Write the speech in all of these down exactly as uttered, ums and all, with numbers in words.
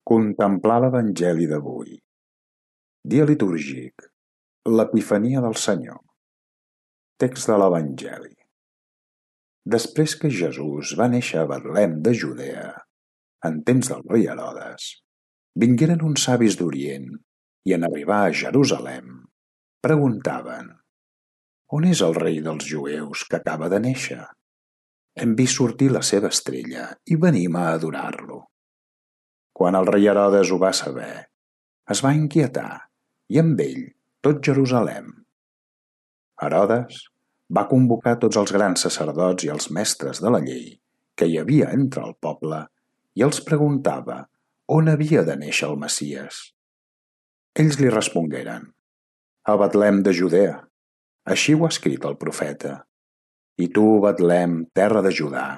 Contemplar l'Evangeli d'avui. Dia litúrgic. L'Epifania del Senyor. Text de l'Evangeli. Després que Jesús va néixer a Betlem de Judea, en temps del rei Herodes, vingueren uns savis d'Orient i en arribar a Jerusalem preguntaven: «On és el rei dels jueus que acaba de néixer? Hem vist sortir la seva estrella i venim a adorar-lo». Quan el rei Herodes ho va saber, es va inquietar i amb ell tot Jerusalem. Herodes va convocar tots els grans sacerdots i els mestres de la llei que hi havia entre el poble i els preguntava on havia de néixer el Messies. Ells li respongueren: «A Betlem de Judea, així ho ha escrit el profeta. I tu, Betlem, terra de Judà,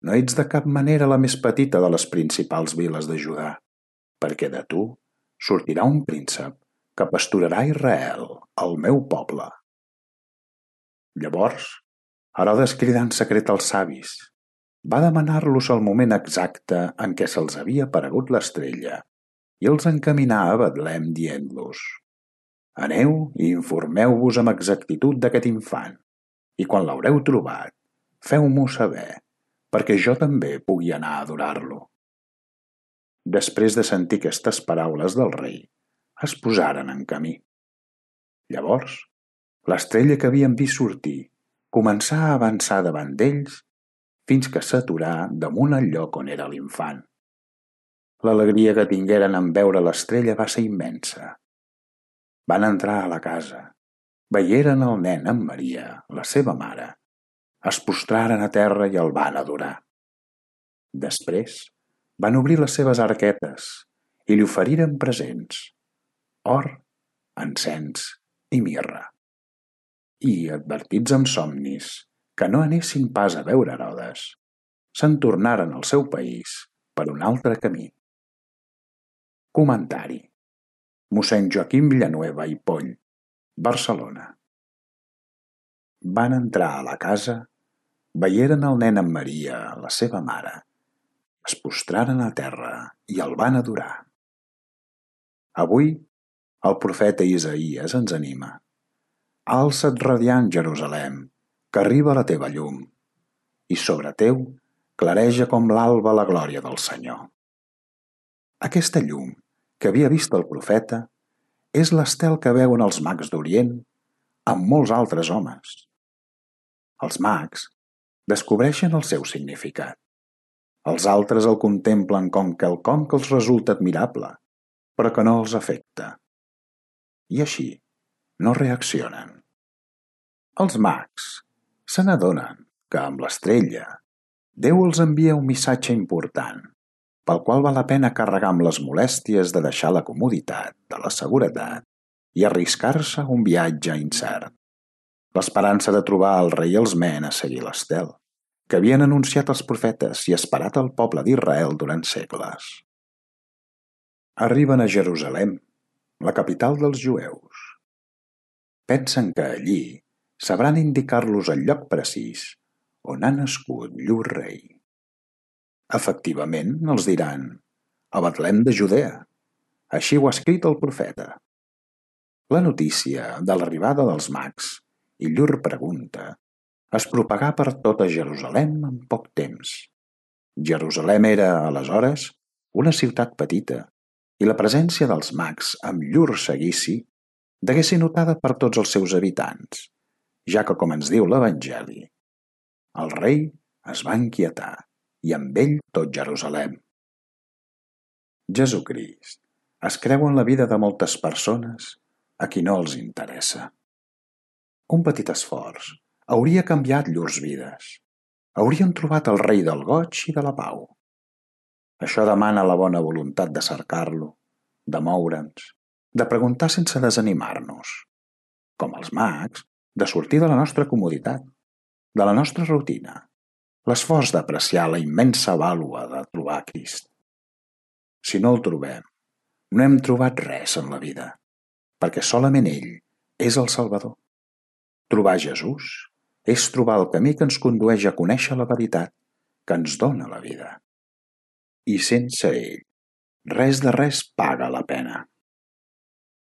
no ets de cap manera la més petita de les principals viles de Judà, perquè de tu sortirà un príncep que pasturarà Israel, el meu poble». Llavors, Herodes cridà en secret als savis, va demanar-los el moment exacte en què se'ls havia aparegut l'estrella i els encaminà a Betlem dient-los: «Aneu i informeu-vos amb exactitud d'aquest infant, i quan l'haureu trobat, feu-m'ho saber, perquè jo també pugui anar a adorar-lo». Després de sentir aquestes paraules del rei, es posaren en camí. Llavors, l'estrella que havien vist sortir començà a avançar davant d'ells fins que s'aturà damunt el lloc on era l'infant. L'alegria que tingueren en veure l'estrella va ser immensa. Van entrar a la casa, veieren el nen amb Maria, la seva mare, es postraren a terra i el van adorar. Després van obrir les seves arquetes i li oferiren presents: or, encens i mirra. I, advertits amb somnis que no anessin pas a veure Herodes, se'n tornaren al seu país per un altre camí. Comentari: mossèn Joaquim Villanueva i Poll, Barcelona. Van entrar a la casa, veieren el nen amb Maria, la seva mare, es postraren a terra i el van adorar. Avui, el profeta Isaïes ens anima: «Alça't radiant, Jerusalem, que arriba la teva llum, i sobre teu clareja com l'alba la glòria del Senyor». Aquesta llum que havia vist el profeta és l'estel que veuen els mags d'Orient amb molts altres homes. Els mags descobreixen el seu significat. Els altres el contemplen com quelcom que els resulta admirable, però que no els afecta. I així no reaccionen. Els mags se n'adonen que amb l'estrella Déu els envia un missatge important, pel qual val la pena carregar amb les molèsties de deixar la comoditat, de la seguretat i arriscar-se un viatge incert. L'esperança de trobar el rei els mena a seguir l'estel, que havien anunciat els profetes i esperat el poble d'Israel durant segles. Arriben a Jerusalem, la capital dels jueus. Pensen que allí sabran indicar-los el lloc precís on ha nascut llur rei. Efectivament, els diran: «A Betlem de Judea, així ho ha escrit el profeta». La notícia de l'arribada dels mags i llur pregunta es propagà per tota Jerusalem en poc temps. Jerusalem era, aleshores, una ciutat petita, i la presència dels mags amb llur seguici degué ser notada per tots els seus habitants, ja que, com ens diu l'Evangeli, el rei es va inquietar i amb ell tot Jerusalem. Jesucrist es creu en la vida de moltes persones a qui no els interessa. Un petit esforç hauria canviat llurs vides. Haurien trobat el rei del goig i de la pau. Això demana la bona voluntat de cercar-lo, de moure'ns, de preguntar sense desanimar-nos. Com els mags, de sortir de la nostra comoditat, de la nostra rutina, l'esforç d'apreciar la immensa vàlua de trobar Crist. Si no el trobem, no hem trobat res en la vida, perquè solament ell és el Salvador. Trobar Jesús és trobar el camí que ens condueix a conèixer la veritat, que ens dona la vida. I sense ell Res de res paga la pena.